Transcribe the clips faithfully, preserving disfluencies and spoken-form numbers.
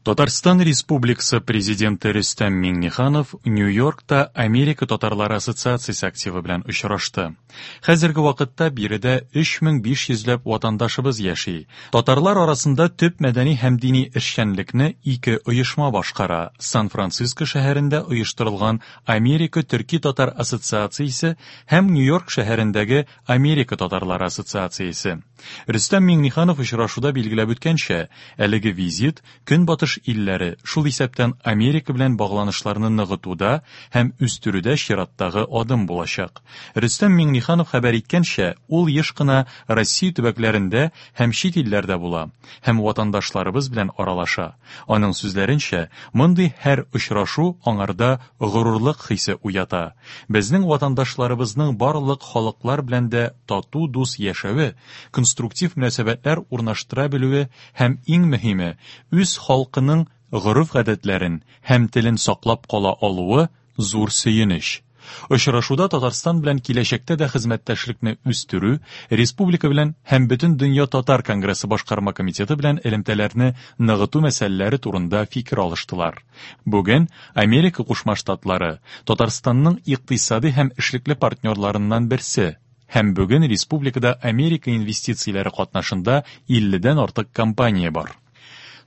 Татарстан Республикасы Президенты Рөстәм Миңнеханов Нью-Йоркта Америка татарлары ассоциациясе активы белән очрашты. Хәзерге вакытта биредә өч мең биш йөзләп ватандашыбыз яши. Татарлар арасында төп мәдәни һәм дини эшчәнлекне ике оешма башкара. Сан-Франциско шәһәрендә оештырылган Америка Төрки Татар Ассоциациясе һәм Нью-Йорк шәһәрендәге Америка Татарлары Ассоциациясе. Рөстәм Миңнеханов очрашуда билгеләп үткәнчә, әлеге визит Көнбатыш илләре, шул исәптән Америка белән багланышларны ныгытуда һәм үстерүдә чираттагы адым булачак. Рөстәм Миңнеханов хәбәр иткәнчә, ул еш кына Россия төбәкләрендә һәм чит илләрдә була һәм ватандашларыбыз белән аралаша. Аның сүзләренчә, мондый һәр очрашу аңарда горурлык хисе уята. Безнең ватандашларыбызның барлык халыклар белән дә тату дус яшәве, конструктив мөнәсәбәтләр урнаштыра белүе һәм иң мөһиме, үз халкының гореф-гадәтләрен һәм телен саклап кала алуы зур сөенеч. Очрашуда Татарстан белән киләчәктә дә хезмәттәшлекне үстерү, республика белән һәм бөтен дөнья татар конгрессы башкарма комитеты белән элемтәләрне ныгыту мәсьәләләре турында фикер алыштылар. Бүген Америка Кушма Штатлары Татарстанның икътисади һәм эшлекле партнерларыннан берсе. Һәм бүген республикада Америка инвестицияләре катнашында илледән артык компания бар.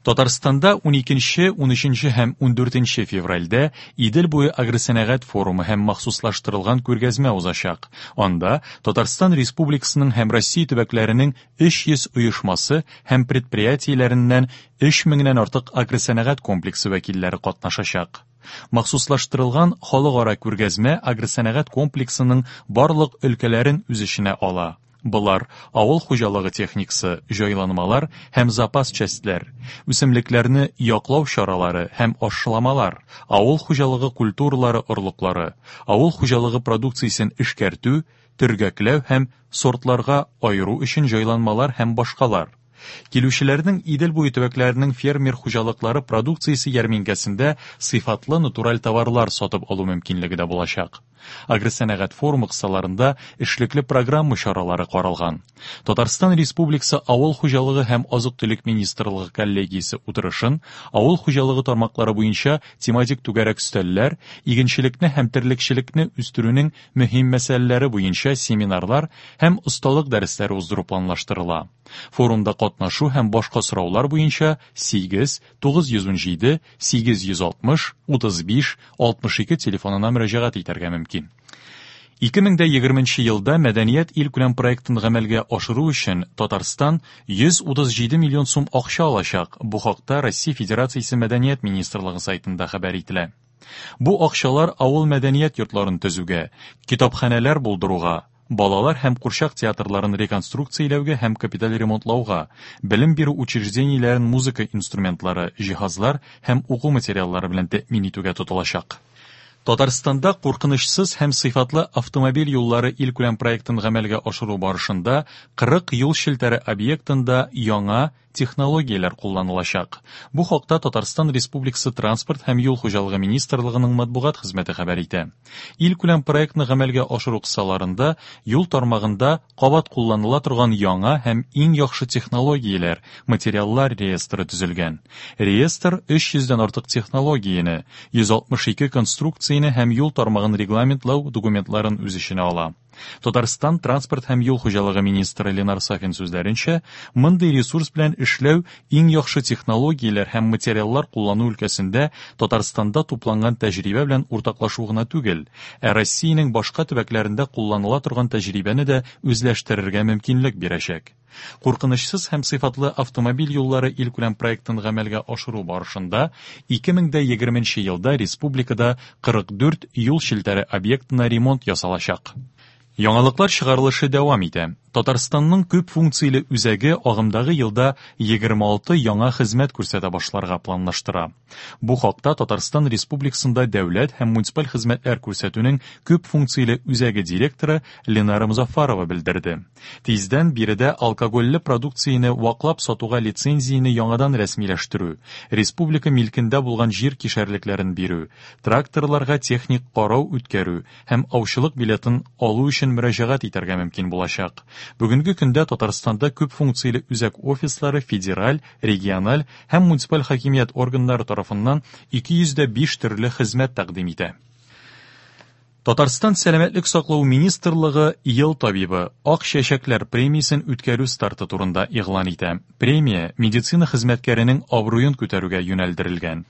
Татарстанда уникенче, унөченче һәм ундүртенче февральдә Идел буе агросәнәгать форумы һәм махсуслаштырылган күргәзмә узачак. Анда Татарстан Республикасының һәм Россия төбәкләренең өч йөз оешмасы һәм предприятиеләреннән өч меңнән артык агросәнәгать комплексы вәкилләре катнашачак. Махсуслаштырылган халыкара күргәзмә агросәнәгать комплексының барлык өлкәләрен үз эченә ала. Болар авыл хуҗалыгы техникасы, җайланмалар һәм запас частьләр, үсемлекләрне яклау чаралары һәм ашламалар, авыл хуҗалыгы культуралары орлыклары, авыл хуҗалыгы продукциясен эшкәртү, төргәкләү һәм сортларга айыру өчен җайланмалар һәм башкалар. Килүчеләрнең Идел буе төбәкләренең фермер хуҗалыклары продукциясе ярминкәсендә сыйфатлы натураль товарлар сатып алу мөмкинлеге дә булачак. Агросәнәгать форумы кысаларында эшлекле программа чаралары каралган. Татарстан Республикасы Авыл хуҗалыгы һәм азык-төлек министрлыгы коллегиясе утырышын авыл хуҗалыгы тармаклары буенча тематик түгәрәк өстәлләр, игенчелекне һәм терлекчелекне үстерүнең мөһим мәсьәләләре буенча семинарлар һәм осталык дәресләре уздыру планлаштырыла. Форумда катнашу һәм башка сораулар буенча сигез, тугыз йөз унҗиде, сигез йөз алтмыш, утыз биш, алтмыш ике телефонына мөрәҗәгать итәргә мөмкин. Ике мең дә егерменче елда Мәдәният илкүләм проектын гамәлгә ашыру өчен Татарстан йөз утыз җиде миллион сум акча алачак. Бу хакта Россия Федерациясе Мәдәният министрлыгы сайтында хәбәр ителә. Бу акчалар авыл мәдәният йортларын төзүгә, китапханәләр булдыруга, балалар һәм курчак театрларын реконструкцияләүгә һәм капиталь ремонтлауга, белем бирү учреждениеләрен музыка инструментлары, җиһазлар һәм уку материаллары белән тәэмин итүгә тотылачак. Татарстанда куркынычсыз һәм сыйфатлы автомобиль юллары илкүләм проектын гамәлгә ашыру барышында кырык юл челтәре объектында яңа технологияләр кулланылачак. Бу хакта Татарстан Республикасы Транспорт һәм юл хуҗалыгы министрлыгының матбугат хезмәте хәбәр итә. Илкүләм проектны гамәлгә ашыру кысаларында юл тармагында кабат кулланыла торган яңа һәм иң яхшы технологияләр, материаллар реестры төзелгән. Реестр өч йөздән артык технологияне, йөз алтмыш ике конструкцияне һәм юл тармагын регламентлау документларын үз эченә ала. Татарстан Транспорт һәм юл хуҗалыгы министры Ленар Сафин сүзләренчә, мондый ресурс белән эшләү иң яхшы технологияләр һәм материаллар куллану өлкәсендә Татарстанда тупланган тәҗрибә белән уртаклашу гына түгел, ә Россиянең башка төбәкләрендә кулланыла торган тәҗрибәне дә үзләштерергә мөмкинлек бирәчәк. Куркынычсыз һәм сыйфатлы автомобиль юллары илкүләм проектын гамәлгә ашыру барышында ике мең дә егерменче елда республикада кырык дүрт юл челтәре объектына ремонт ясалачак. Яңалыклар чыгарылышы дәвам итә. Татарстанның күп функцияле үзәге агымдагы елда егерме алты яңа хезмәт күрсәтә башларга планлаштыра. Бу хакта Татарстан Республикасында дәүләт һәм муниципаль хезмәтләр күрсәтүнең күп функцияле үзәге директоры Ленара Музафарова белдерде. Тиздән биредә алкогольле продукцияне ваклап сатуга лицензияне яңадан рәсмиләштерү, республика милкендә булган җир кишәрлекләрен бирү, тракторларга техник карау үткәрү һәм аучылык билетын алу өчен мөрәҗәгать итәргә мөмкин булачак. Бүгенге көндә Татарстанда күп функцияле үзәк офислары федераль, региональ һәм муниципаль хакимият органнары тарафыннан ике йөз дә биш төрле хезмәт тәкъдим итә. Татарстан Сәламәтлек саклау министрлыгы Ел табибы Ак чәчәкләр премиясен үткәрү старты турында игълан итә. Премия медицина хезмәткәренең абруен күтәрүгә юнәлдерелгән.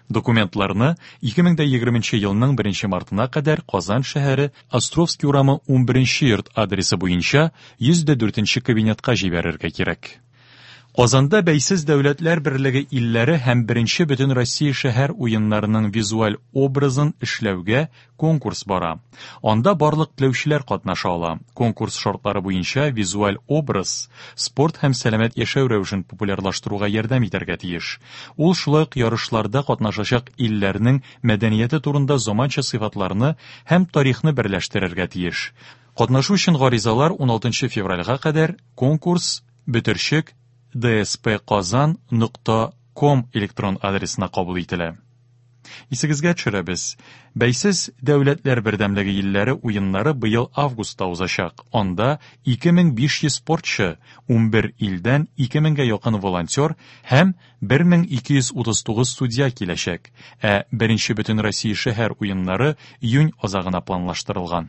Документларны ике мең дә егерменче елның беренче мартына кадәр Казан шәһәре Островский урамы унберенче йорт адресы буенча йөз дә дүртенче кабинетка җибәрергә кирәк. Казанда Бәйсез Дәүләтләр Берлеге илләре һәм беренче Бөтен Россия шәһәр уеннарының визуаль образын эшләүгә конкурс бара. Анда барлык теләүчеләр катнаша ала. Конкурс шартлары буенча визуаль образ спорт һәм сәламәт яшәү рәвешен популярлаштыруга ярдәм итәргә тиеш. Ул шулай ук ярышларда катнашачак илләрнең мәдәнияте турында заманча сыйфатларны һәм тарихны берләштерергә тиеш. Катнашу өчен гаризалар уналтынчы февральгә кадәр конкурс бөтерчек D S P Казан нокта ком электрон адресына кабул ителә. Исегезгә төшерәбез. Бәйсез Дәүләтләр Бердәмлеге илләре уеннары быел августта узачак. Анда ике мең биш йөз спортчы, унбер илдән ике меңгә якын волонтер һәм бер мең ике йөз утыз тугыз судья киләчәк. Ә беренче Бөтен Россия шәһәр уеннары июнь азагына планлаштырылган.